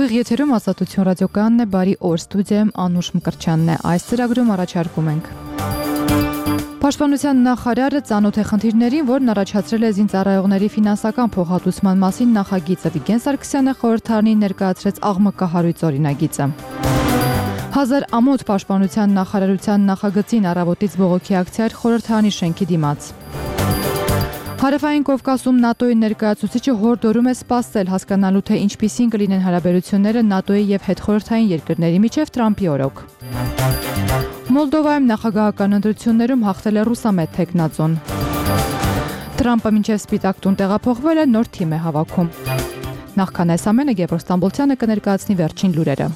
Ուղիղ եթերում Ազատություն ռադիոկայանն է, բարի օր, ստուդիայում Անուշ Մկրտչյանն է, այս ծրագրում առաջարկում ենք։ Պաշտպանության նախարարը ծանոթ է խնդիրներին, որն առաջացրել է զինծառայողների ֆինանսական փոխհատուցման մասին նախագիծը, Վիգեն Սարգսյանը խորհրդարանին ներկայացրեց աղմկահարույց օրինագիծը։ 1000 ամոթ պաշտպանության նախարարության նախագծին առավոտից բողոքի ակցիա էր խորհրդարանի շենքի դիմաց։ Հարավային Կովկասում ՆԱՏՕ-ի ներկայացուցիչը հորդորում է սպասել հասկանալու, թե ինչպիսին կլինեն հարաբերությունները ՆԱՏՕ-ի եւ հետխորհրդային երկրների միջև Թրամփի օրոք։ Մոլդովայում նախագահական ընտրություններում հաղթել է ռուսամետ թեկնածուն։ Թրամփը մինչև Սպիտակ տուն տեղափոխվել է, նոր թիմ է հավաքում։ Նախքան այս ամենը Գևորգ Ստամբոլցյանը կներկայացնի վերջին լուրերը։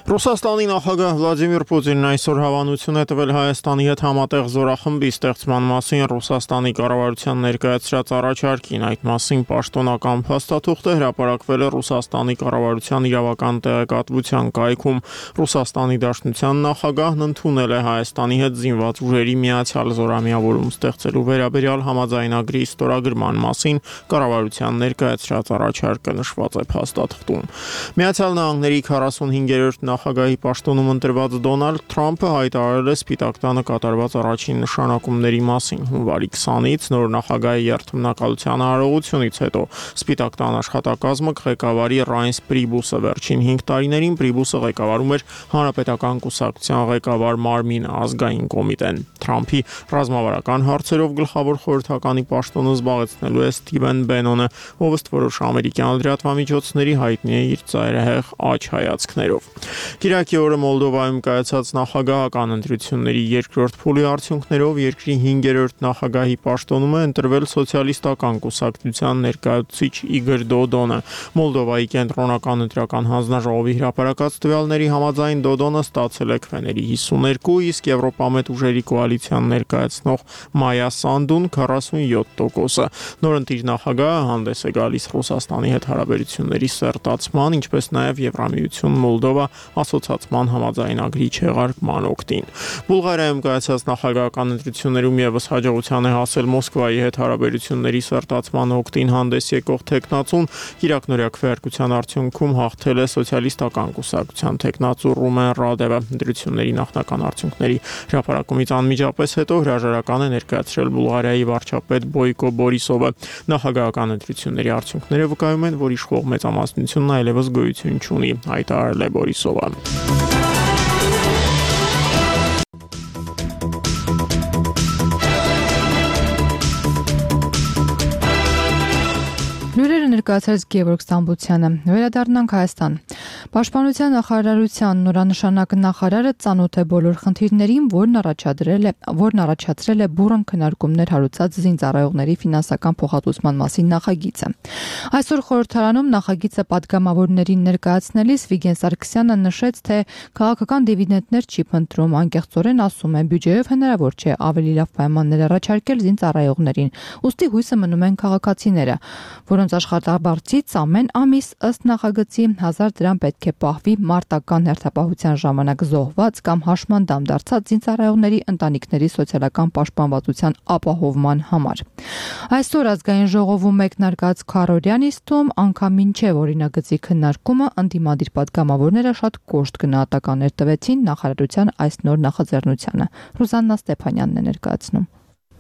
Ռուսաստանի նախագահ Վլադիմիր Պուտինն այսօր հավանություն է տվել Հայաստանի հետ համատեղ զորախմբի ստեղծման մասին Ռուսաստանի կառավարության ներկայացրած առաջարկին։ Այդ մասին պաշտոնական փաստաթուղթը հրապարակվել է Ռուսաստանի կառավարության իրավական տեղեկատվության կայքում։ Ռուսաստանի Դաշնության նախագահն ընդունել է Հայաստանի հետ զինված ուժերի միացյալ զորամիավորում ստեղծելու վերաբերյալ համաձայնագրի ստորագրման մասին կառավարության ներկայացրած առաջարկը նշված է փաստաթղթում։ Միացյալ Նահանգների 45-րդ նախագահի պաշտոնում ընտրված Դոնալդ Թրամփը հայտարարել է Սպիտակ տանը կատարված առաջին նշանակումների մասին։ Հունվարի 20-ից նոր նախագահի երթմնակալության արարողությունից հետո Սպիտակ տան աշխատակազմը ղեկավարի Ռայնս Պրիբուսը վերջին 5 տարիներին Պրիբուսը ղեկավարում էր Հանրապետական կուսակցության ղեկավար Մարմին ազգային կոմիտեն։ Թրամփի ռազմավարական հարցերով գլխավոր խորհրդականի պաշտոնը զբաղեցնելու է Սթիվեն Բենոնը, ով ըստ որոշ ամերիկյան լրատվամիջոցների հայտնի է իր ծայրահեղ աջ հայացքներով։ Կիրակի օրը Մոլդովայում կայացած նախագահական ընտրությունների երկրորդ փուլի արդյունքներով երկրի 5-րդ նախագահի պաշտոնում է ընտրվել սոցիալիստական կուսակցության ներկայացուցիչ Իգոր Դոդոնը։ Մոլդովայի կենտրոնական ընտրական հանձնաժողովի հրապարակած տվյալների համաձայն Դոդոնը ստացել է քվեների 52, իսկ Եվրոպամետ ուժերի կոալիցիան ներկայացնող Մայա Սանդուն 47%-ը։ Նորընտիր նախագահը հանդես է գալիս Ռուսաստանի հետ հարաբերությունների սերտացման, ինչպես նաև Եվրամիություն Մոլդովա ասոցացման համաձայնագրի չեղարկման օգտին։ Բուլղարիայում կայացած նախագահական ընտրություններում ևս հաջողության է հասել Մոսկվայի հետ հարաբերությունների սերտացման օգտին հանդես եկող թեկնածուն, Կիրակնորյա քվեարկության արդյունքում հաղթել է սոցիալիստական կուսակցության թեկնածու Ռումեն Ռադևը։ Ընտրությունների նախնական արդյունքների հրապարակումից անմիջապես հետո հրաժարական է ներկայացրել Բուլղարիայի վարչապետ Բոյկո Բորիսովը։ Նախագահական ընտրությունների արդյունքները վկայում են, որ իշխող մեծամասնությունն այլևս գոյություն չունի, հայտարարել է Բորիսովը։ Լուրերը ներկայացրեց Գևորգ Ստամբոլցյանը։ Վերադառնանք Հայաստան։ Պաշտպանության նախարարության նորանշանակ նախարարը ծանոթ է բոլոր խնդիրներին, որն առաջացրել է բուռն քննարկումներ հարուցած զինծառայողների ֆինանսական փոխհատուցման մասին նախագիծը։ Այսօր խորհրդարանում նախագիծը պատգամավորներին ներկայացնելիս Վիգեն Սարգսյանը նշեց, թե քաղաքական դիվիդենդներ չի փնտրում, անկեղծորեն ասում է, բյուջեով հնարավոր չէ ավելի լավ պայմաններ առաջարկել զինծառայողներին։ Ուստի հույսը մնում են քաղաքացիները, որոնց աշխատաբարձից ամեն ամիս ըստ նախագծի 1000 դրամ պետք է պահվի մարտական հերթապահության ժամանակ զոհված կամ հաշմանդամ դարձած զինծառայողների ընտանիքների սոցիալական պաշտպանվածության ապահովման համար։ Այսօր ազգային ժողովում մեկնարկած քառօրյա նիստում անգամ մինչև օրինագծի քննարկումը ընդդիմադիր պատգամավորները շատ կոշտ գնահատականներ տվեցին նախարարության այս նոր նախաձեռնությանը։ Ռուզաննա Ստեփանյանն է ներկայացնում։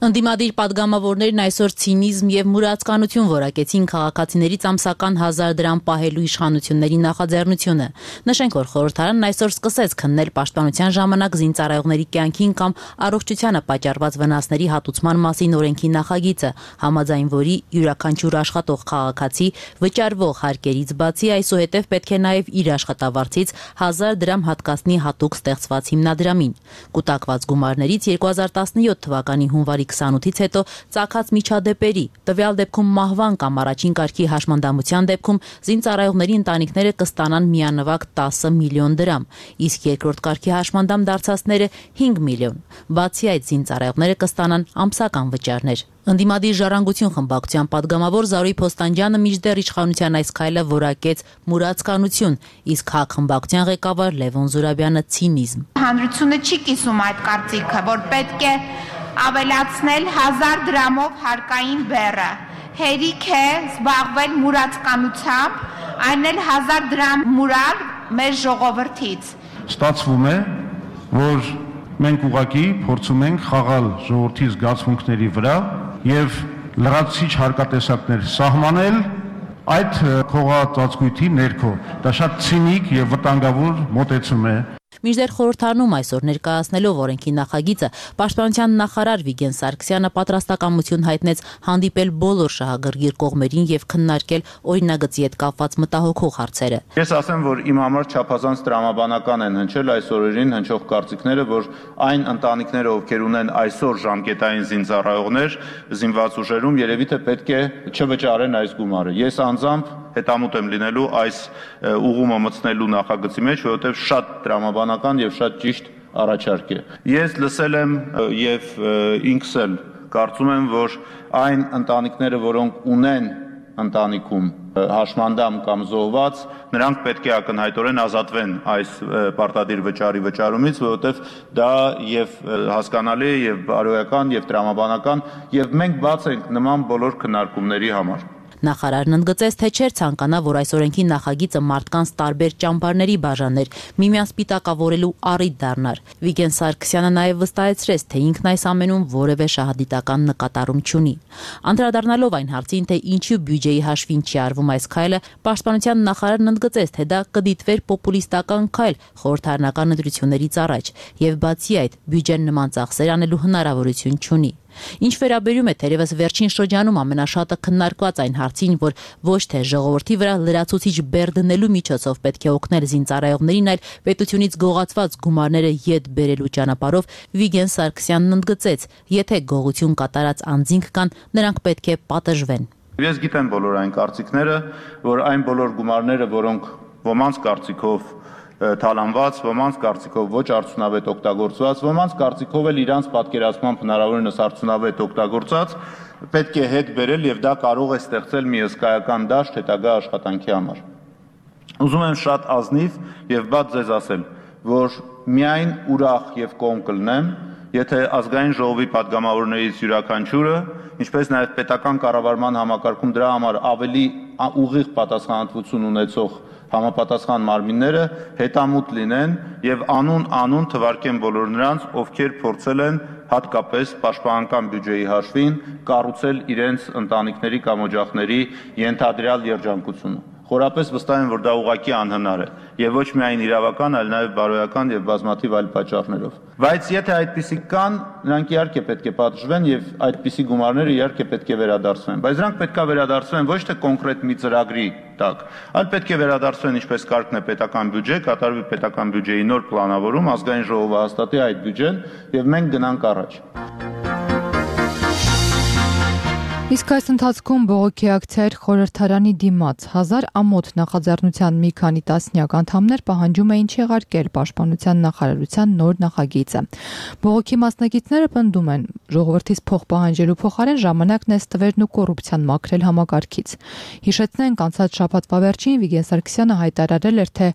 Ընդդիմադիր պատգամավորներն այսօր ցինիզմ եւ մուրացկանություն որակեցին քաղաքացիներից ամսական 1000 դրամ պահելու իշխանությունների նախաձեռնությունը։ Նշենք, որ խորհրդարանն այսօր սկսեց քննել պաշտպանության ժամանակ զինծառայողների կյանքին կամ առողջությանը պատճառված վնասների հատուցման մասին օրենքի նախագիծը, համաձայն որի յուրաքանչյուր աշխատող քաղաքացի վճարվող հարկերից բացի այսուհետև պետք է նաեւ իր աշխատավարձից 1000 դրամ հատկացնի հատուկ ստեղծված հիմնադրամին։ Կուտակված գումարներից 2017 թվականի հունվարի 28-ից հետո ծագած միջադեպերի, տվյալ դեպքում մահվան կամ առաջին կարգի հաշմանդամության դեպքում զինծառայողների ընտանիքները կստանան միանվագ 10 միլիոն դրամ, իսկ երկրորդ կարգի հաշմանդամ դարձածները 5 միլիոն։ Բացի այդ, զինծառայողները կստանան ամսական վճարներ։ Ընդդիմադիր ժառանգություն խմբակցության պատգամավոր Զարուհի Փոստանջյանը մինչդեռ իշխանության այս քայլը որակեց մուրացկանություն, իսկ ՀԱԿ խմբակցության ղեկավար Լևոն Զուրաբյանը ցինիզմ։ Հանրությունը չի կիսում այդ կարծիքը, որ պետք է ավելացնել 1000 դրամով հարկային բեռը։ Հերիք է զբաղվել մուրացկանությամբ, այն էլ 1000 դրամ մուրալ մեր ժողովրդից։ Ստացվում է, որ մենք ուղղակի փորձում ենք խաղալ ժողովրդի զգացմունքների վրա եւ լրացուցիչ հարկատեսակներ սահմանել այդ քողածածկույթի ներքո։ Դա շատ ցինիկ եւ վտանգավոր մոտեցում է։ Մինչդեռ խորհրդարանում այսօր ներկայացնելով օրենքի նախագիծը, Պաշտպանության նախարար Վիգեն Սարգսյանը պատրաստակամություն հայտնեց հանդիպել բոլոր շահագրգիռ կողմերին եւ քննարկել օրինագծի հետ կապված մտահոգող հարցերը։ Ես ասեմ, որ իմ համար չափազանց տրամաբանական են հնչել այս օրերին հնչող կարծիքները, որ այն ընտանիքները, ովքեր ունեն այսօր ժամկետային զինծառայողներ զինված ուժերում, երևի թե պետք է չվճարեն այս գումարը։ Ես անձամբ հետամուտ եմ լինելու այս ուղումը մտցնելու նախագծի մեջ, որովհետև շատ տրամաբանական եւ շատ ճիշտ առաջարկ է։ Ես լսել եմ եւ ինքս էլ կարծում եմ, որ այն ընտանիքները, որոնք ունեն ընտանիքում հաշմանդամ կամ զոհված, նրանք պետք է ակնհայտորեն ազատվեն այս պարտադիր վճարի վճարումից, որովհետև դա եւ հասկանալի է եւ բարոյական եւ տրամաբանական եւ մենք բաց ենք նման բոլոր քննարկումների համար։ Նախարարն ընդգծեց, թե չէր ցանկանա, որ այս օրենքի նախագիծը մարդկանց տարբեր ճամբարների բաժաներ, միմյանց պիտակավորելու առիթ դառնար։ Վիգեն Սարգսյանը նաև վստահեցրեց, թե ինքն այս ամենում որևէ շահադիտական նկատառում չունի։ Անդրադառնալով այն հարցին, թե ինչու բյուջեի հաշվին չի արվում այս քայլը, Պաշտպանության նախարարն ընդգծեց, թե դա կդիտվեր պոպուլիստական քայլ խորհրդարանական ընտրություններից առաջ, եւ բացի այդ, բյուջեն նման ծախսեր անելու հնարավորություն չունի։ Ինչ վերաբերում է թերևս վերջին շրջանում ամենաշատը քննարկված այն հարցին, որ ոչ թե ժողովրդի վրա լրացուցիչ բեռ դնելու միջոցով պետք է օգնել զինծառայողներին, այլ պետությունից գողացված գումարները ետ բերելու ճանապարհով, Վիգեն Սարգսյանն ընդգծեց, եթե գողություն կատարած անձինք կան, նրանք պետք է պատժվեն։ Ես գիտեմ բոլոր այն կարծիքները, որ այն բոլոր գումարները, որոնք ոմանց կարծիքով թալանված, ոմանց կարծիքով ոչ արդյունավետ օգտագործված, ոմանց կարծիքով էլ իրանց պատկերացմամբ հնարավորինս արդյունավետ օգտագործած, պետք է հետ բերել եւ դա կարող է ստեղծել մի հսկայական դաշտ հետագա աշխատանքի համար։ Ուզում եմ շատ ազնիվ եւ բաց ձեզ ասել, որ միայն ուրախ եւ կողմ կլնեմ, եթե ազգային ժողովի падգամավորներից յուրաքանչյուրը, ինչպես նաեւ պետական կառավարման համակարգում դրա համար ավելի ուղիղ պատասխանատվություն ունեցող համապատասխան մարմինները հետամուտ լինեն եւ անուն թվարկեն բոլոր նրանց, ովքեր փորձել են հատկապես պաշտպանական բյուջեի հաշվին կառուցել իրենց ընտանիքների կամ օջախների ենթադրյալ երջանկությունը։ Խորապես վստահ եմ, որ դա ուղղակի անհնար է եւ ոչ միայն իրավական, այլ նաեւ բարոյական եւ բազմաթիվ այլ պատճառներով։ Բայց եթե այդպիսիք կան, նրանք իհարկե պետք է պատժվեն եւ այդպիսի գումարները իհարկե պետք է վերադարձվեն, բայց նրանք պետք է վերադարձվեն ոչ թե կոնկրետ մի ծրագրի տակ, այլ պետք է վերադարձվեն ինչպես կարգն է պետական բյուջե, կատարվի պետական բյուջեի նոր պլանավորում, ազգային ժողովը հաստատի այդ բյուջեն եւ մենք գնանք առաջ։ Իսկ այս ընթացքում բողոքի ակցիայր խորհրդարանի դիմաց 1000 ամոթ նախաձեռնության մի քանի տասնյակ անդամներ պահանջում էին չեղարկել Պաշտպանության նախարարության նոր նախագիծը։ Բողոքի մասնակիցները պնդում են, ժողովրդից փող պահանջելու փոխարեն ժամանակն է ստվերն ու կոռուպցիան մաքրել համակարգից։ Հիշեցնենք, անցած շաբաթվա վերջին Վիգեն Սարգսյանը հայտարարել էր, թե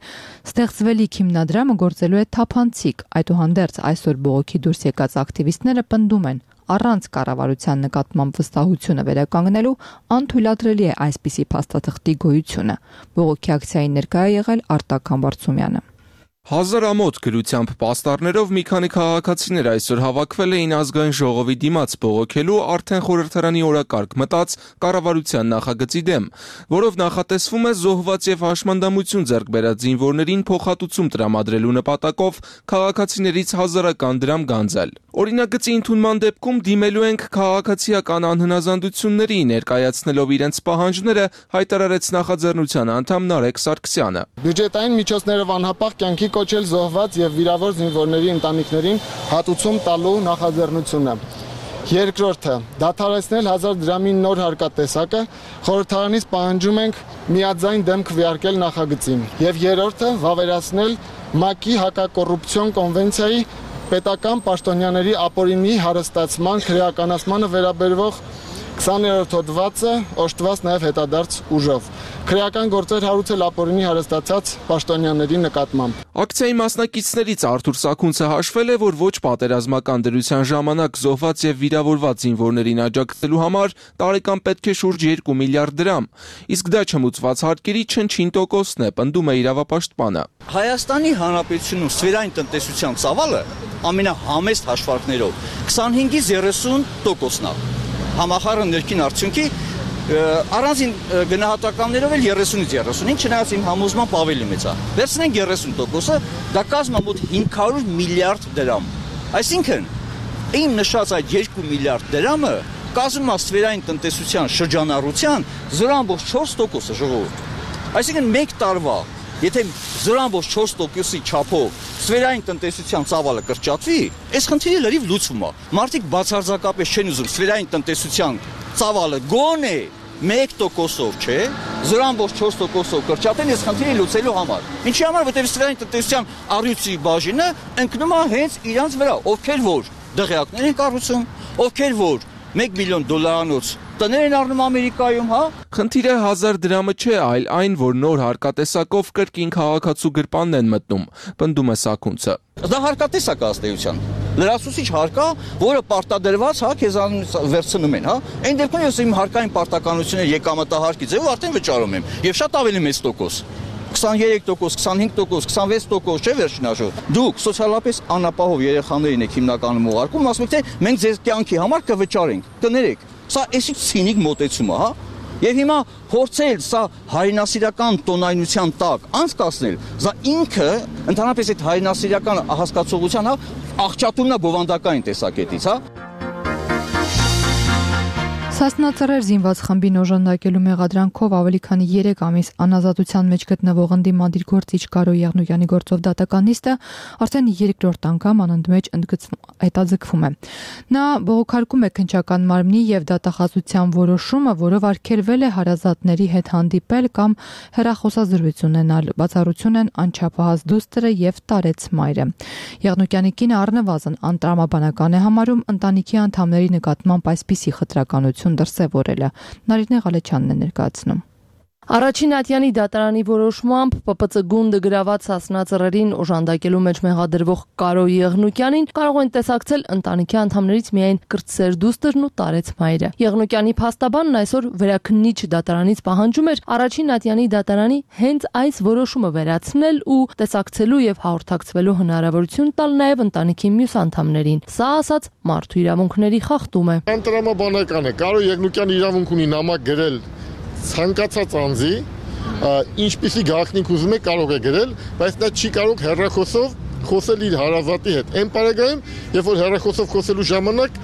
ստեղծվելիք հիմնադրամը գործելու է թափանցիկ։ Այդուհանդերձ այսօր բողոքի դուրս եկած ակտիվիստները պնդում են, առանց կառավարության նկատմամբ վստահությունը վերականգնելու անթույլատրելի է այսպիսի փաստաթղթի գոյությունը։ Բողոքի ակցիային ներկայ է եղել Արտակ Համբարձումյանը։ 1000 ամոթ գրությամբ պաստառներով մի քանի քաղաքացիներ այսօր հավաքվել էին ազգային ժողովի դիմաց բողոքելու արդեն խորհրդարանի օրակարգ մտած կառավարության նախագծի դեմ, որով նախատեսվում է զոհված եւ հաշմանդամություն ձեռք բերած զինվորներին փոխհատուցում տրամադրելու նպատակով քաղաքացիներից 1000 դրամ գանձել։ Օրինագծի ընդունման դեպքում դիմելու ենք քաղաքացիական անհնազանդությունների, ներկայացնելով իրենց պահանջները, հայտարարեց նախաձեռնության անդամ Նարեկ Սարգսյանը։ Բյուջետային միջոցներով անհապաղ կյանքի կոչել զոհված եւ վիրավոր զինվորների ընտանիքներին հատուցում տալու նախաձեռնությունը։ Երկրորդը, դադարեցնել 1000 դրամի նոր հարկատեսակը, խորհրդարանից պահանջում ենք միաձայն դեմ քվեարկել նախագծին։ Եվ երրորդը, վավերացնել ՄԱԿ-ի հակակոռուպցիոն կոնվենցիայի պետական պաշտոնյաների ապօրինի հարստացման քրեականացմանը վերաբերող 20-րդ հոդվածը օժտված նաև հետադարձ ուժով։ քրեական գործեր հարուցել ապօրինի հարստացած պաշտոնյաների նկատմամբ։ Ակցիայի մասնակիցներից Արթուր Սաքունցը հաշվել է, որ ոչ պատերազմական դրության ժամանակ զոհված եւ վիրավորված զինվորներին աջակցելու համար տարեկան պետք է շուրջ 2 միլիարդ դրամ, իսկ դա չմուծված հարկերի չնչին տոկոսն է, պնդում է իրավապաշտպանը։ Հայաստանի Հանրապետությունում սֆերային տնտեսության ծավալը ամենահամեստ հաշվարկներով 25-ից 30%-ն է։ Համախառն ներքին արդյունքի առանձին գնահատականներով էլ 30-ից 35, չնայած իմ համոզմամբ ավելի մեծ է։ Վերցնենք 30%-ը, դա կազմում է մոտ 500 միլիարդ դրամ։ Այսինքն, իմ նշած այդ 2 միլիարդ դրամը կազմում է սֆերային տնտեսության շրջանառության 0.4%-ը ժողովուրդ։ Այսինքն մեկ տարվա, եթե 0.4%-ի չափով սֆերային տնտեսության ծավալը կրճատվի, այս խնդիրը լրիվ լուծվում է։ Մարդիկ բացարձակապես չեն ուզում սֆերային տնտեսության ծավալը գոնե 1%-ով, չէ, 0.4%-ով կրճատեն այս խնդիրը լուծելու համար։ Ինչի համար, որտեղ սֆերային տնտեսության առյուծի բաժինը ընկնում է հենց իրանց վրա, ովքեր որ դղյակներ են կառուցում, ովքեր որ $1 միլիոն տներ են առնում Ամերիկայում, հա։ Խնդիրը 1000 դրամը չէ, այլ այն, որ նոր հարկատեսակով կրկին քաղաքացու գրպանն են մտնում, պնդում է Սաքունցը։ Դա հարկատեսակ է ըստ էության։ Լրացուցիչ հարկա, որը պարտադրված, հա, քեզանից վերցնում են, հա։ Այն դեպքում ես իմ հարկային պարտականությունները եկամտահարկի ձևով արդեն վճարում եմ, եւ շատ ավելի մեծ տոկոս։ 23%, 25%, 26% չէ վերջին հաշվով։ Դուք սոցիալապես անապահով երեխաներին եք հիմնականում ուղարկում, ասում եք, թե մենք ձեր կյանքի համար կվճարենք, կներեք։ Սա էսի ցինիկ մոտեցում է, հա։ Եվ հիմա փորձել սա հայրենասիրական տոնայնության տակ անցկացնել, սա ինքը ընդհանրապես այդ հայրենասիրական հասկացողության, հա, աղճատումն է բովանդակային տեսակետից, հա։ Սասնածռեր զինված խմբին օժանդակելու մեղադրանքով ավելի քանի 3 ամիս անազատության մեջ գտնվող ընդդիմադիր գործիչ Կարո Եղնուկյանի գործով դատական նիստը արդեն 3-րդ անգամ անընդմեջ հետաձգվում է։ Նա բողոքարկում է քննչական մարմնի եւ դատախազության որոշումը, որով արգելվել է հարազատների հետ հանդիպել կամ հեռախոսազրույց ունենալ, բացառություն են անչափահաս դուստրը եւ տարեց մայրը։ Եղնուկյանի կինը առնվազն անտրամաբանական է համարում ընտանիքի անդամների նկատմամբ այսպիսի խտրականություն դրսևորելը։ Նարինե Ղալեչյանն է ներկայացնում։ Առաջին Ատյանի դատարանի որոշմամբ ՊՊՑ գունդը գրաված սասնածռերին օժանդակելու մեջ մեղադրվող Կարո Եղնուկյանին կարող են տեսակցել ընտանիքի անդամներից միայն կրտսեր դուստրն ու տարեց մայրը։ Եղնուկյանի փաստաբանն այսօր վերաքննիչ դատարանից պահանջում էր առաջին Ատյանի դատարանի հենց այս որոշումը վերացնել ու տեսակցելու եւ հաղորդակցվելու հնարավորություն տալ նաեւ ընտանիքի մյուս անդամներին։ Սա ասած մարդու իրավունքների խախտում է։ Անտրամաբանական է։ Կարո Եղնուկյանը իրավունք ունի նամակ գրել ցանկացած անձի, ինչպիսի գաղտնիք ուզում է կարող է գրել, բայց նա չի կարող հեռախոսով խոսել իր հարազատի հետ։ Այն պարագայում, երբ որ հեռախոսով խոսելու ժամանակ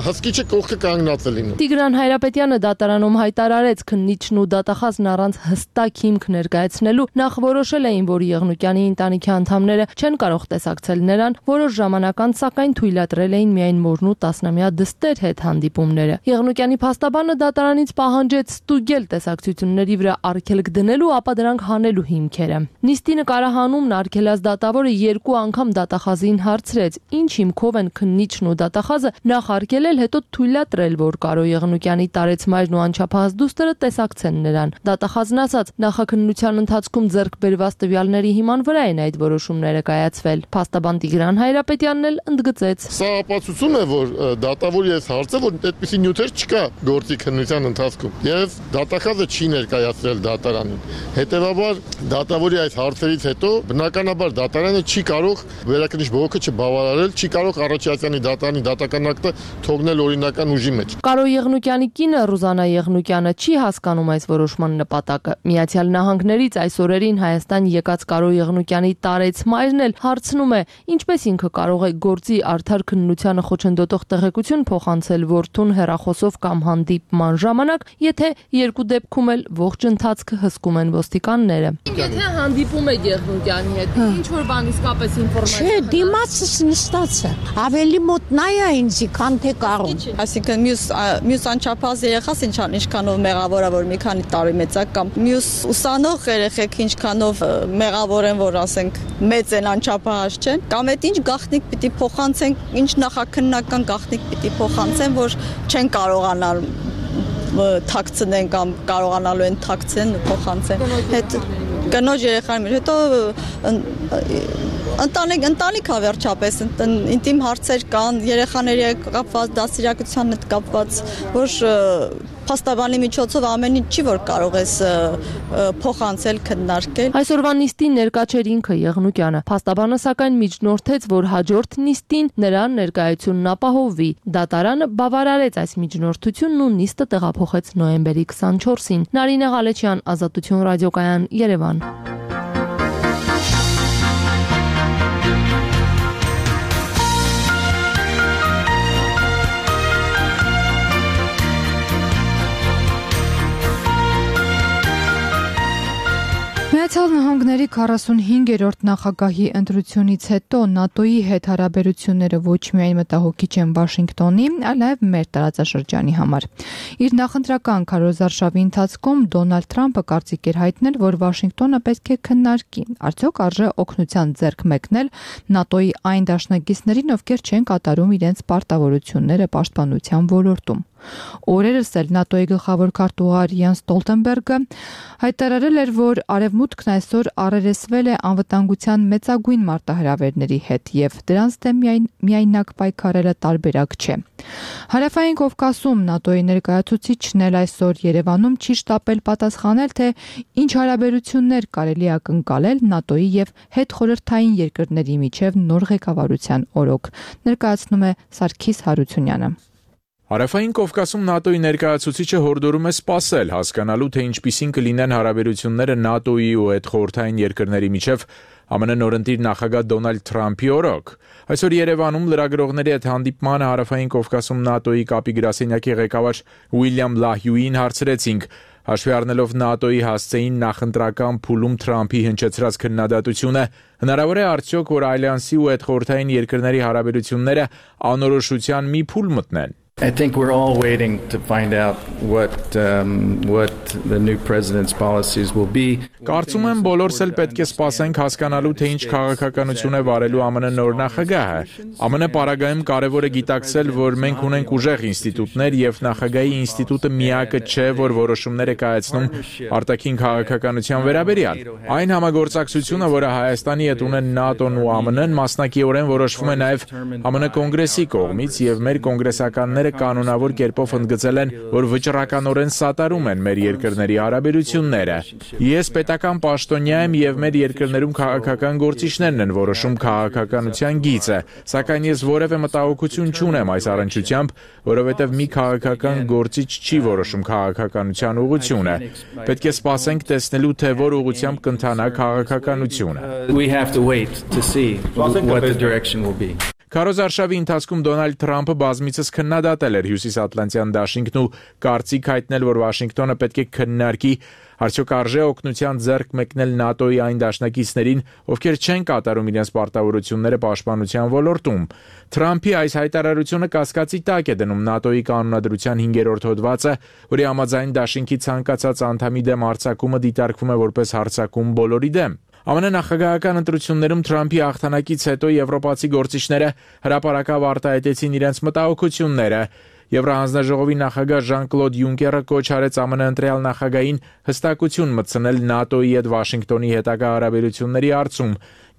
հսկիչը կողքը կանգնած է լինում։ Տիգրան Հայրապետյանը դատարանում հայտարարեց քննիչն ու դատախազն առանց հստակ հիմք ներկայացնելու նախ որոշել էին, որ Եղնուկյանի ընտանիքի անդամները չեն կարող տեսակցել նրան, որոշ ժամանակ անց սակայն թույլատրել էին միայն մորն ու 10-ամյա դստեր հետ հանդիպումները։ Եղնուկյանի փաստաբանը դատարանից պահանջեց ստուգել տեսակցությունների վրա արգելք դնելու, ապա դրանք հանելու հիմքերը։ Նիստի նկարահանումն արգելած դատավորը 2 անգամ դատախազին հարցրեց, ինչ հիմքով են քննիչն ու դատախազը նախ արգելել, հետո թույլատրել, որ Կարո Եղնուկյանի տարեց մայրն ու անչափահաս դուստրը տեսակցեն նրան։ Դատախազն ասաց, նախաքննության ընթացքում ձեռք բերված տվյալների հիման վրա են այդ որոշումները կայացվել։ Փաստաբան Տիգրան Հայրապետյանն էլ ընդգծեց. Սա ապացուցում է, որ դատավորի այս հարցը, որ այդպիսի նյութեր չկա գործի քննության ընթացքում, եւ դատախազը չի ներկայացրել դատարանին։ Հետևաբար դատավորի այս հարցերից հետո բնականաբար դատարանը չի կարող վերաքննիչ բողոքը չբավարարել, չի կարող առաջացյալի դատարանի դատական ակտը թողնել օրինական ուժի մեջ։ Կարո Եղնուկյանի կինը Ռուզանա Եղնուկյանը չի հասկանում այս որոշման նպատակը։ Միացյալ Նահանգներից այս օրերին Հայաստան եկած Կարո Եղնուկյանի տարեց մայրն էլ հարցնում է, ինչպես ինքը կարող է գործի արդար քննությանը խոչընդոտող տեղեկություն փոխանցել որդուն հեռախոսով կամ հանդիպման ժամանակ, եթե երկու դեպքում էլ ողջ ընթացքը հսկում են ոստիկանները։ Եթե հանդիպում եք Եղնուկյանի հետ, ինչ որ բան իսկապես Չէ, դիմացս նստած է։ Ավելի մոտ նա է ինձի, քան թե Կարոն։ Այսինքն մյուս անչափահաս երեխաս ինչքանով մեղավոր է, որ մի քանի տարի մեծ է, կամ մյուս ուսանող երեխեք ինչքանով մեղավոր են, որ ասենք մեծ են, անչափահաս չեն, կամ այդ ինչ գաղտնիք պիտի փոխանցեն, ինչ նախաքննական գաղտնիք պիտի փոխանցեն, որ չեն կարողանալ թաքցնեն կամ կարողանալու են թաքցեն, փոխանցեն։ Հետ կնոջ երեխաների հետ, հետո ընտանիք է վերջապես, ինտիմ հարցեր կան, երեխաների հետ կապված, դաստիարակության հետ կապված, որ փաստաբանի միջոցով ամեն ինչ չի, որ կարող ես փոխանցել, քննարկել։ Այսօրվա նիստին ներկա չէր ինքը Եղնուկյանը։ Փաստաբանը սակայն միջնորդեց, որ հաջորդ նիստին նրան ներկայությունն ապահովվի։ Դատարանը բավարարեց այս միջնորդությունն ու նիստը տեղափոխեց նոյեմբերի 24-ին։ Նարինե Ղալեչյան, Ազատություն ռադիոկայան, Երևան։ Միացյալ Նահանգների 45-րդ նախագահի ընտրությունից հետո ՆԱՏՕ-ի հետ հարաբերությունները ոչ միայն մտահոգիչ են Վաշինգտոնի, այլ նաև մեր տարածաշրջանի համար։ Իր նախընտրական քարոզարշավի ընթացքում Դոնալդ Թրամփը կարծիք էր հայտնել, որ Վաշինգտոնը պետք է քննարկի, արդյոք արժե օգնության ձեռք մեկնել ՆԱՏՕ-ի այն դաշնակիցներին, ովքեր չեն կատարում իրենց պարտավորությունները պաշտպանության ոլորտում։ Օրերս էլ ՆԱՏՕ-ի գլխավոր քարտուղար Յենս Ստոլտենբերգը հայտարարել էր, որ Արևմուտքն այսօր առերեսվել է անվտանգության մեծագույն մարտահրավերների հետ եւ դրանց դեմ միայնակ պայքարելը տարբերակ չէ։ Հարավային Կովկասում ՆԱՏՕ-ի ներկայացուցիչն էլ այսօր Երևանում չի շտապել պատասխանել, թե ինչ հարաբերություններ կարելի է ակնկալել ՆԱՏՕ-ի եւ հետխորհրդային երկրների միջև նոր ղեկավարության օրոք, ներկայացնում է Սարգիս Հարությունյանը։ Հարավային Կովկասում ՆԱՏՕ-ի ներկայացուցիչը հորդորում է սպասել, հասկանալու, թե ինչպիսին կլինեն հարաբերությունները ՆԱՏՕ-ի ու հետխորհրդային երկրների միջև ԱՄՆ նորընտիր նախագահ Դոնալդ Թրամփի օրոք։ Այսօր Երևանում լրագրողների հետ հանդիպմանը Հարավային Կովկասում ՆԱՏՕ-ի կապի գրասենյակի ղեկավար Ուիլյամ Լահյուին հարցրեցինք, հաշվի առնելով ՆԱՏՕ-ի հասցեին նախընտրական փուլում Թրամփի հնչեցրած քննադատությունը, հնարավոր է արդյոք, որ Ալյանսի ու հետխորհրդային երկրների հարաբերությունները անորոշության մի փուլ մտնեն։ I think we're all waiting to find out what the new president's policies will be. Կարծում եմ բոլորս էլ պետք է սպասենք հասկանալու, թե ինչ քաղաքականություն է վարելու ԱՄՆ նոր նախագահը։ ԱՄՆ պարագայում կարևոր է գիտակցել, որ մենք ունենք ուժեղ ինստիտուտներ եւ նախագահի ինստիտուտը միակը չէ, որ որոշումներ է կայացնում արտաքին քաղաքականության վերաբերյալ։ Այն համագործակցությունը, որը Հայաստանի հետ ունեն ՆԱՏՕ-ն ու ԱՄՆ-ն, մասնակիորեն որոշվում է նաեւ ԱՄՆ կոնգրեսի կողմից եւ մեր կոնգրեսականները կանոնավոր կերպով ընդգծել են, որ վճռականորեն սատարում են մեր երկրների հարաբերությունները։ Ես պետական պաշտոնյա եմ եւ մեր երկրներում քաղաքական գործիչներն են որոշում քաղաքականության գիծը, սակայն ես որևէ մտահոգություն չունեմ այս առնչությամբ, որովհետեւ մի քաղաքական գործիչ չի որոշում քաղաքականության ուղղությունը։ Պետք է սպասենք տեսնելու, թե որ ուղղությամբ կընթանա քաղաքականությունը։ We have to wait to see what the direction will be. Քարոզարշավի ընթացքում Դոնալդ Թրամփը բազմիցս քննադատել էր Հյուսիսատլանտյան դաշինքն ու կարծիք հայտնել, որ Վաշինգտոնը պետք է քննարկի արդյոք արժե օգնության ձեռք մեկնել ՆԱՏՕ-ի այն դաշնակիցներին, ովքեր չեն կատարում իրենց պարտավորությունները պաշտպանության ոլորտում։ Թրամփի այս հայտարարությունը կասկածի տակ է դնում ՆԱՏՕ-ի կանոնադրության 5-րդ հոդվածը, որի համաձայն դաշինքի ցանկացած անդամի դեմ հարձակումը դիտարկվում է որպես հարձակում բոլորի դեմ։ ԱՄՆ նախագահական ընտրություններում Թրամփի հաղթանակից հետո եվրոպացի գործիչները հրապարակավ արտահայտեցին իրենց մտահոգությունները։ Եվրահանձնաժողովի նախագահ Ժան-Կլոդ Յունկերը կոչ արեց ԱՄՆ ընտրյալ նախագահին հստակություն մտցնել ՆԱՏՕ-ի հետ Վաշինգտոնի հետագա հարաբերությունների հարցում։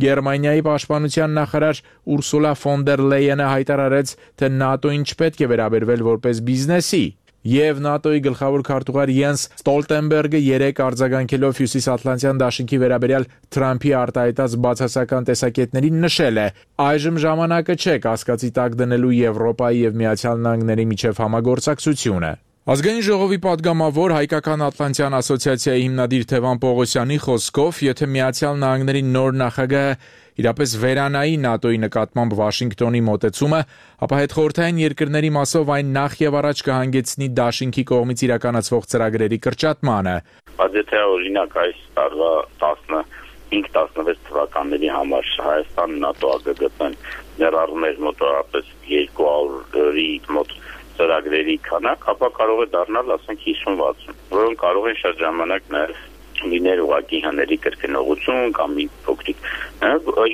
Գերմանիայի պաշտպանության նախարար Ուրսուլա ֆոն դեր Լեյենը հայտարարեց, թե ՆԱՏՕ-ին չպետք է վերաբերվել որպես բիզնեսի։ Եվ ՆԱՏՕ-ի գլխավոր քարտուղար Յենս Ստոլտենբերգը երեք արձագանքելով Հյուսիսատլանտյան դաշինքի վերաբերյալ Թրամփի արտահայտած բացասական տեսակետներին նշել է. այժմ ժամանակը չէ կասկածի տակ դնելու Եվրոպայի եւ Միացյալ Նահանգների միջև համագործակցությունը։ Ազգային ժողովի падգամավոր Հայկական Ատլանտյան ասոցիացիայի հիմնադիր Թևան Պողոսյանի խոսքով, եթե Միացյալ Նահանգների նոր նախագահը իրապես վերանայի ՆԱՏՕ-ի նկատմամբ Վաշինգտոնի մոտեցումը, ապա հետխորհրդային երկրների մասով այն նախ եւ առաջ կհանգեցնի դաշինքի կողմից իրականացվող ծրագրերի կրճատմանը։ Բայց եթե օրինակ այս տարվա 15-16 թվականների համար Հայաստան ՆԱՏՕ-ը գտնեն ներառում էր մոտավորապես 200-ի մոտ ծրագրերի քանակ, ապա կարող է դառնալ, ասենք 50-60, որոնք կարող են շատ ժամանակ նաև լիներ ուղղակի հների կրկնողություն կամ մի փոքրիկ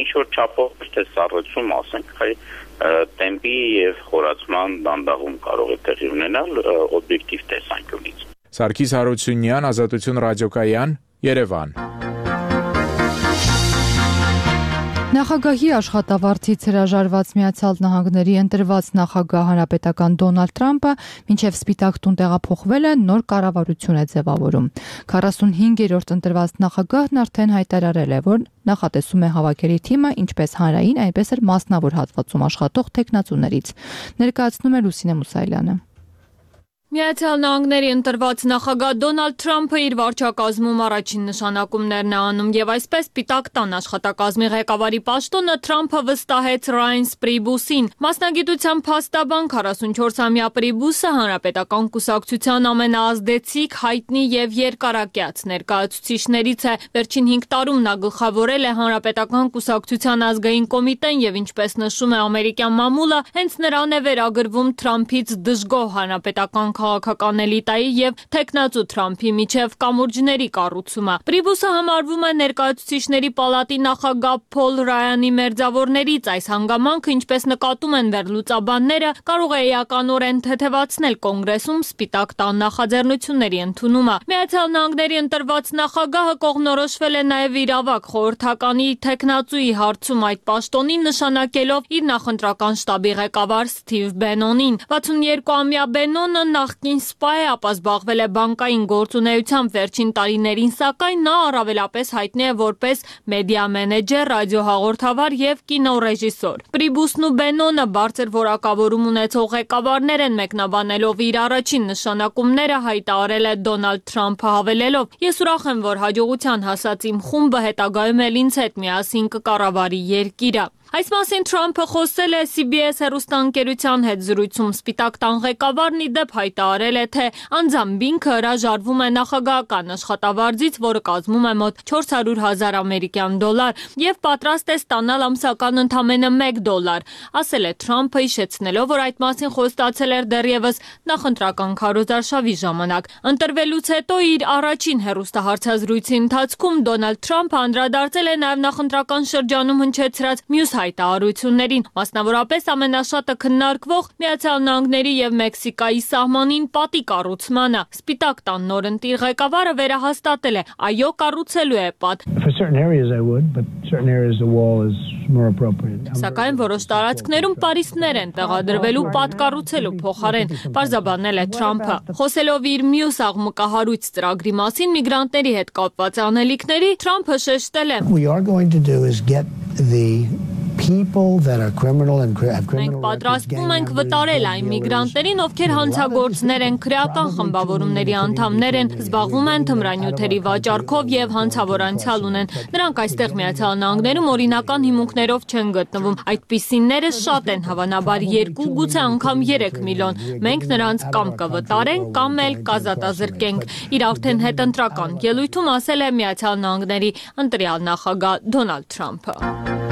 ինչ որ չափով թե սառեցում, ասենք, տեմպի եւ խորացման դանդաղում կարող է տեղի ունենալ օբյեկտիվ տեսանկյունից։ Սարգիս Հարությունյան, Ազատություն ռադիոկայան, Երևան։ Նախագահի աշխատավարձից հրաժարված Միացյալ Նահանգների ընտրված նախագահ հանրապետական Դոնալդ Թրամփը մինչև Սպիտակ տուն տեղափոխվել է, նոր կառավարություն է ձևավորում։ 45-րդ ընտրված նախագահն արդեն հայտարարել է, որ նախատեսում է հավաքերի թիմը ինչպես հանրային, այնպես էլ մասնավոր հատվածում աշխատող տեխնացուներից։ Ներկայացնում է Լուսինե Մուսայելյանը։ Միացյալ Նահանգների ընտրված նախագահ Դոնալդ Թրամփը իր վարչակազմում առաջին նշանակումներն է անում եւ այսպես Սպիտակ տան աշխատակազմի ղեկավարի պաշտոնը Թրամփը վստահեց Ռայնս Պրիբուսին։ Մասնագիտությամբ փաստաբան 44-ամյա Պրիբուսը հանրապետական կուսակցության ամենաազդեցիկ, հայտնի եւ երկարակյաց ներկայացուցիչներից է։ Վերջին 5 տարում նա գլխավորել է հանրապետական կուսակցության ազգային կոմիտեն եւ ինչպես նշում է ամերիկյան մամուլը, հենց նրան է վերագրվում Թրամփից դժգոհ հանրապետական քաղաքական էլիտայի եւ տեխնացու Թրամփի միջև կամուրջների կառուցումը։ Պրիբուսը համարվում է ներկայացուցիչների պալատի նախագահ Փոլ Ռայանի մերձավորներից։ Այս հանգամանքը, ինչպես նկատում են վերլուծաբանները, կարող է էականորեն թեթևացնել կոնգրեսում Սպիտակ տան նախաձեռնությունների ընդունումը։ Միացյալ Նահանգների ընտրված նախագահը կողմնորոշվել է նաեւ իրավակ խորհրդականի տեխնացուի հարցում այդ պաշտոնին նշանակելով իր նախընտրական շտաբի ղեկավար Սթիվ Բենոնին։ 62-ամյա Բենոնը նախկին սպա է, ապա զբաղվել է բանկային գործունեությամբ վերջին տարիներին, սակայն նա առավելապես հայտնի է որպես մեդիա մենեջեր, ռադիոհաղորդավար եւ կինոռեժիսոր։ Պրիբուսն ու Բենոնը բարձր որակավորում ունեցող ղեկավարներ են, մեկնաբանելով իր առաջին նշանակումները հայտարարել է Դոնալդ Թրամփը հավելելով. Ես ուրախ եմ, որ հաջողության հասած իմ խումբը հետագայում էլ ինձ հետ միասին կկառավարի երկիրը։ Այս մասին Թրամփը խոսել է CBS հեռուստաընկերության հետ զրույցում։ Սպիտակ տան ղեկավարն ի դեպ հայտարարել է, թե անձամբ ինքը հրաժարվում է նախագահական աշխատավարձից, որը կազմում է մոտ 400,000 ամերիկյան դոլար, եւ պատրաստ է ստանալ ամսական ընդամենը $1, ասել է Թրամփը, հիշեցնելով, որ այդ մասին խոստացել էր դեռևս նախընտրական քարոզարշավի ժամանակ։ Ընտրվելուց հետո իր առաջին հեռուստահարցազրույցի ընթացքում Դոնալդ Թրամփը անդրադարձել է նաեւ նախընտրական շրջանում հնչեցրած մյուս հայտարարություններին, մասնավորապես ամենաշատը քննարկվող Միացյալ Նահանգների եւ Մեքսիկայի սահմանին պատի կառուցմանը։ Սպիտակ տան նորընտիր ղեկավարը վերահաստատել է, այո, կառուցելու է պատ։ Սակայն որոշ տարածքներում պարիսպներ են տեղադրվելու պատ կառուցելու փոխարեն, պարզաբանել է Թրամփը։ Խոսելով իր մյուս աղմկահարույց ծրագրի մասին միգրանտների հետ կապված անելիքների, Թրամփը շեշտել է. Մենք պատրաստվում ենք վտարել այն միգրանտերին, ովքեր հանցագործներ են, քրեական խմբավորումների անդամներ են, զբաղվում են թմրանյութերի վաճառքով եւ հանցավոր անցյալ ունեն։ Նրանք այստեղ Միացյալ Նահանգներում օրինական հիմունքներով չեն գտնվում։ Այդպիսիները շատ են, հավանաբար 2, գուցե անգամ 3 միլիոն։ Մենք նրանց կամ կվտարենք, կամ էլ կազատազրկենք։ Իր արդեն հետընտրական ելույթում ասել է Միացյալ Նահանգների ընտրյալ նախագահ Դոնալդ Թրամփը։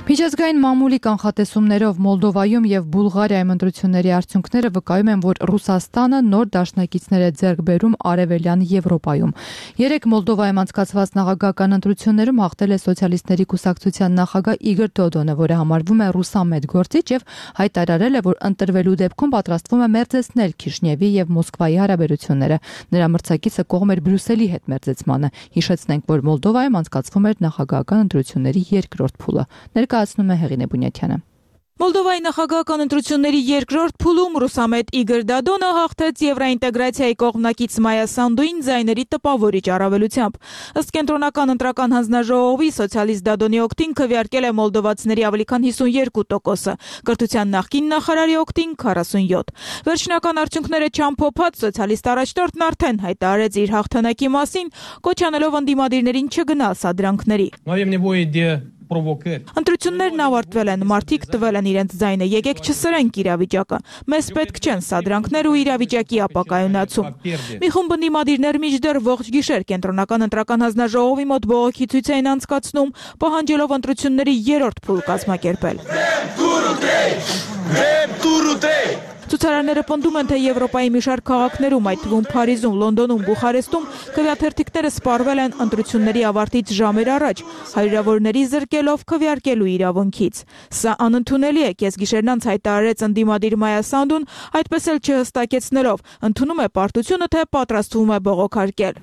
Միջազգային մամուլի կանխատեսումներով Մոլդովայում եւ Բուլղարիայում ընտրությունների արդյունքները վկայում են, որ Ռուսաստանը նոր դաշնակիցներ է ձեռք բերում Արևելյան Եվրոպայում։ 3 Մոլդովայում անցկացված նախագահական ընտրություններում հաղթել է սոցիալիստների կուսակցության նախագահ Իգոր Դոդոնը, որը համարվում է ռուսամետ գործիչ եւ հայտարարել է, որ ընտրվելու դեպքում պատրաստվում է մերձեցնել Քիշնևի եւ Մոսկվայի հարաբերությունները։ Նրա մրցակիցը կողմ էր Բրյուսելի հետ մերձեցմանը։ Հիշեցնենք, որ Մոլդովայում անցկացվում էր նախագահական ընտրությունների երկրորդ փուլը։ Ներկայացնում է Հեղինե Բունյաթյանը։ Մոլդովայի նախագահական ընտրությունների երկրորդ փուլում ռուսամետ Իգոր Դոդոնը հաղթեց Եվրոինտեգրացիայի կողմնակից Մայա Սանդուին ձայների տպավորիչ առավելությամբ։ Ըստ կենտրոնական ընտրական հանձնաժողովի սոցիալիստ Դոդոնի օգտին քվեարկել է մոլդովացիների ավելի քան 52%-ը, կրթության նախկին նախարարի օգտին 47%։ Վերջնական արդյունքները չամփոփած սոցիալիստ առաջնորդն արդեն հայտարարեց իր հաղթանակի մասին, կոչ անելով ընդդիմադիրներին չգնալ սադրանքների։ Ընտրություններն ավարտվել են, մարդիկ տվել են իրենց ձայնը, եկեք չսրենք իրավիճակը։ Մեզ պետք չեն սադրանքներ ու իրավիճակի ապակայունացում։ Մի խումբ ընդդիմադիրներ մինչդեռ ողջ գիշեր կենտրոնական ընտրական հանձնաժողովի մոտ բողոքի ցույց էին անցկացնում, պահանջելով ընտրությունների երրորդ փուլ կազմակերպել։ Ցուցարարները պնդում են, թե Եվրոպայի մի շարք քաղաքներում, այդ թվում Փարիզում, Լոնդոնում, Բուխարեստում քվեաթերթիկները սպառվել են ընտրությունների ավարտից ժամեր առաջ, հարյուրավորների զրկելով քվեարկելու իրավունքից։ Սա անընդունելի է, կեսգիշերն անց հայտարարեց ընդդիմադիր Մայա Սանդուն, այդպես էլ չհստակեցնելով, ընդունում է պարտությունը, թե պատրաստվում է բողոքարկել։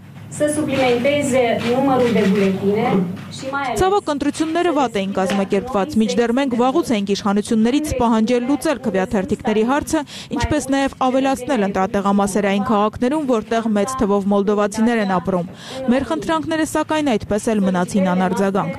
Ցավոք ընտրությունները վատ էին կազմակերպված, մինչդեռ մենք վաղուց էինք իշխանություններից պահանջել լուծել քվեաթերթիկների հարցը, ինչպես նաև ավելացնել ընտրատեղամասերային քաղաքներում, որտեղ մեծ թվով մոլդովացիներ են ապրում։ Մեր խնդրանքները սակայն այդպես էլ մնացին անարձագանք։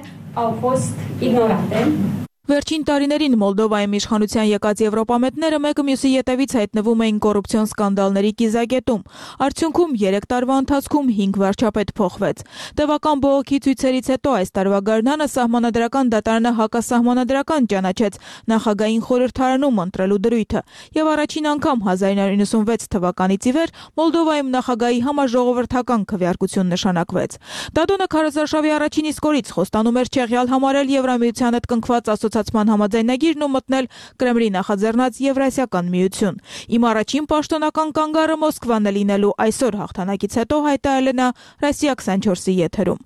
Վերջին տարիներին Մոլդովայում իշխանության եկած եվրոպամետները մեկը մյուսի ետևից հայտնվում էին կոռուպցիոն սկանդալների կիզակետում։ Արդյունքում 3 տարվա ընթացքում 5 վարչապետ փոխվեց։ Տևական բողոքի ցույցերից հետո այս տարվա գարնանը Սահմանադրական դատարանը հակասահմանադրական ճանաչեց նախագահային խորհրդարանում ընտրելու դրույթը, եւ առաջին անգամ 1996 թվականից ի վեր Մոլդովայում նախագահի համաժողովրդական քվեարկություն նշանակվեց։ Դադոնը քարոզարշավի առաջին իսկ օրից խոստանում էր չեղյալ համարել Եվրամիության հետ կնքված ասոցիացիան համաձայնագիրն ու մտնել Կրեմլի նախաձեռնած Եվրասիական միություն։ Իմ առաջին պաշտոնական կանգառը Մոսկվան է լինելու, այսօր հաղթանակից հետո հայտարարել է նա Ռոսիա 24-ի եթերում։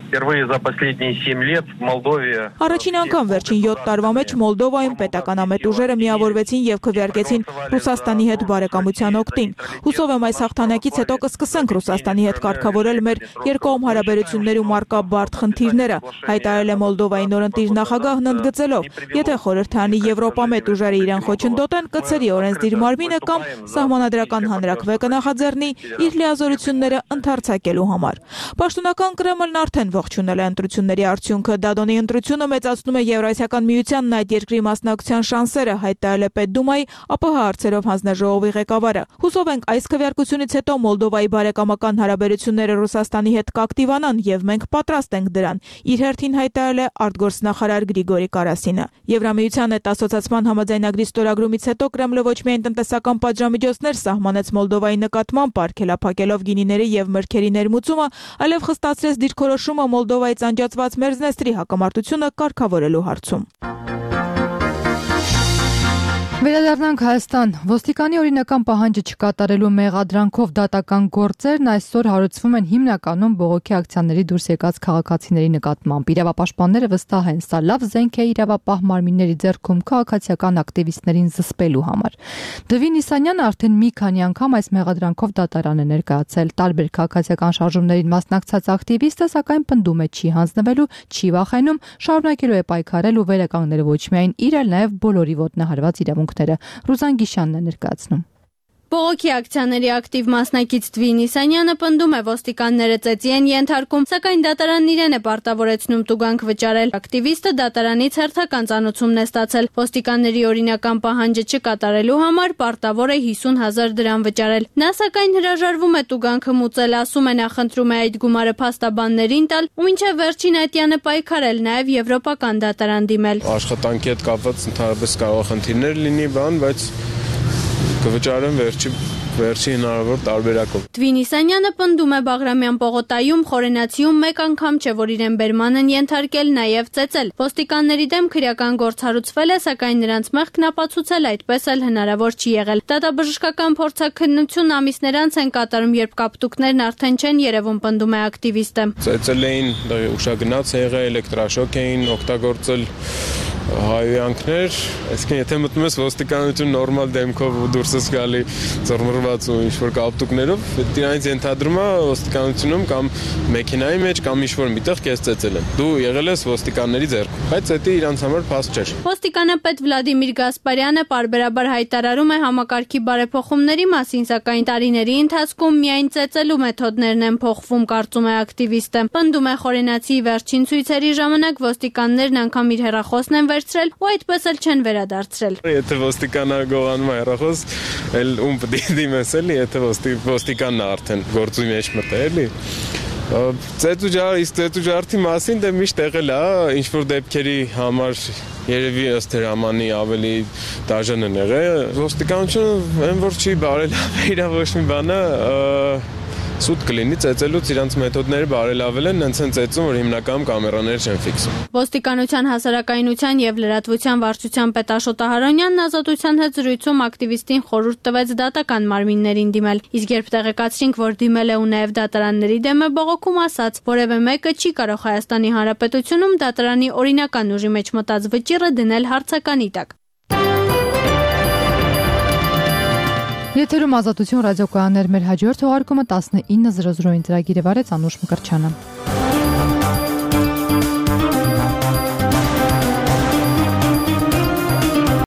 Առաջին անգամ վերջին 7 տարվա մեջ Մոլդովայում պետականամետ ուժերը միավորվեցին եւ քվեարկեցին Ռուսաստանի հետ բարեկամության օգտին։ Հուսով եմ այս հաղթանակից հետո կսկսենք Ռուսաստանի հետ կարգավորել մեր երկկողմ հարաբերություններում առկա բարդ խնդիրները, հայտարարել է Մոլդովայի նորընտիր նախագահն ընդգծելով, եթե խորհրդարանի եվրոպամետ ուժերը իրեն խոչընդոտեն, կցրի օրենսդիր մարմինը կամ սահմանադրական հանրաքվե կնախաձեռնի իր լիազորությունները ընդարձակելու համար։ Պաշտոնական Կրեմլն արդեն ողջունել է ընտրությունների արդյունքը։ Դադոնի ընտրությունը մեծացնում է Եվրասիական միությանն այդ երկրի մասնակցության շանսերը, հայտարարել է Պետդումայի ԱՊՀ հարցերով հանձնաժողովի ղեկավարը։ Հուսով ենք այս քվեարկությունից հետո Մոլդովայի բարեկամական հարաբերությունները Ռուսաստանի հետ կակտիվանան եւ մենք պատրաստ ենք դրան, իր հերթին հայտարարել է արտգործնախարար Գրիգորի Կարասինը։ Եվրամիության հետ ասոցիացիան համաձայնագրի ստորագրումից հետո Կրեմլը ոչ միայն տնտեսական պատժամիջոցներ սահմանեց Մոլդովայի նկատմամբ, արգելափակելով գինիների եւ մրգերի ներմուծումը, այլև խստացրեց դիրքորոշումը Մոլդովայից անջատված Մերձնեստրի հակամարտությունը կարգավորելու հարցում։ Վերադառնանք Հայաստան։ Ոստիկանի օրինական պահանջը չկատարելու մեղադրանքով դատական գործերն այսօր հարուցվում են հիմնականում բողոքի ակցիաների դուրս եկած քաղաքացիների նկատմամբ։ Իրավապաշտպանները վստահ են, սա լավ զենք է իրավապահ մարմինների ձեռքում քաղաքացիական ակտիվիստներին զսպելու համար։ Դվին Իսանյանը արդեն մի քանի անգամ այս մեղադրանքով դատարան է ներկայացել։ Տարբեր քաղաքացիական շարժումներին մասնակցած ակտիվիստը սակայն պնդում է չի հանձնվելու, չի վախենում, շարունակելու է պայքարել ու վերականգնել ոչ միայն իր, այլ նաև բոլորի ոտնահարված իրավունքները։ Ռուզան Գիշյանն է ներկայացնում։ Բողոքի ակցիաների ակտիվ մասնակից Դվին Իսանյանը պնդում է ոստիկանները ծեծի են ենթարկում, սակայն դատարանն իրեն է պարտավորեցնում տուգանք վճարել։ Ակտիվիստը դատարանից հերթական ծանոթությունն է ստացել։ Ոստիկանների օրինական պահանջը չկատարելու համար պարտավոր է 50,000 դրամ վճարել։ Նա սակայն հրաժարվում է տուգանքը մուծել, ասում է նախընտրում է այդ գումարը փաստաբաններին տալ ու մինչև վերջին ատյանը պայքարել, նաև եվրոպական դատարան դիմել։ Աշխատանքի հետ կապված ընդհանրապես կարող խնդիրներ լինի, բայց կվճարեմ վերջի հնարավոր տարբերակով։ Դվին Իսանյանը պնդում է Բաղրամյան պողոտայում, Խորենացիում մեկ անգամ չէ, որ իրեն բերման են ենթարկել, նաև ծեծել։ Ոստիկանների դեմ քրեական գործ հարուցվել է, սակայն նրանց մեղքն ապացուցել այդպես էլ հնարավոր չի եղել։ Դատաբժշկական փորձաքննություն ամիսներ անց են կատարում, երբ կապտուկներն արդեն չեն երևում, պնդում է ակտիվիստը։ Ծեծել էին, ուշագնաց է եղել, էլեկտրաշոկ էին օգտագործել, հայոյանքներ, այսինքն եթե մտնում ես ոստիկանություն նորմալ դեմքով ու դուրս ես գալի ծռմռված ու ինչ-որ կապտուկներով, դրանից ենթադրում է ոստիկանությունում կամ մեքենայի մեջ կամ ինչ-որ միտեղ քեզ ծեծել են։ Դու եղել ես ոստիկանների ձեռքում, բայց դա իրանց համար փաստ չէր։ Ոստիկանապետ Վլադիմիր Գասպարյանը պարբերաբար հայտարարում է համակարգի բարեփոխումների մասին, սակայն տարիների ընթացքում միայն ծեծելու մեթոդներն են փոխվում, կարծում է ակտիվիստը։ Պնդում է Խորենացի վերջին ցույցերի ժամանակ ոստիկաններն անգամ իր հեռախոսն են վերցրել ու այդպես էլ չեն վերադարձրել։ Եթե ոստիկանը գողանում է հեռախոս, էլ ում պետք է դիմես էլի, եթե ոստիկանն արդեն գործի մեջ մտա էլի։ Ծեծուջարդի մասին դե միշտ եղել է, ինչ որ դեպքերի համար երևի ըստ հրամանի ավելի դաժան են եղել։ Ոստիկանությունը այն որ չի բարելավել իր ոչ մի բանը սուտ կլինի ծեծելուց իրանց մեթոդները բարելավել են, հենց են ծեծում, որ հիմնականում կամերաներ չեն ֆիքսում։ Ոստիկանության հասարակայնության եւ լրատվության վարչության պետ Աշոտ Ահարոնյանն Ազատության հետ զրույցում ակտիվիստին խորհուրդ տվեց դատական մարմիններին դիմել։ Իսկ երբ տեղեկացրինք, որ դիմել է ու նաեւ դատարանների դեմ է բողոքում, ասաց, որևէ մեկը չի կարող Հայաստանի Հանրապետությունում դատարանի օրինական ուժի մեջ մտած վճիռը դնել հարցականի տակ։ Եթերում Ազատություն ռադիոկայաններ մեր հաջորդ թողարկումը 19:00-ին ծրագիրը վարեց Անուշ Մկրտչյանը։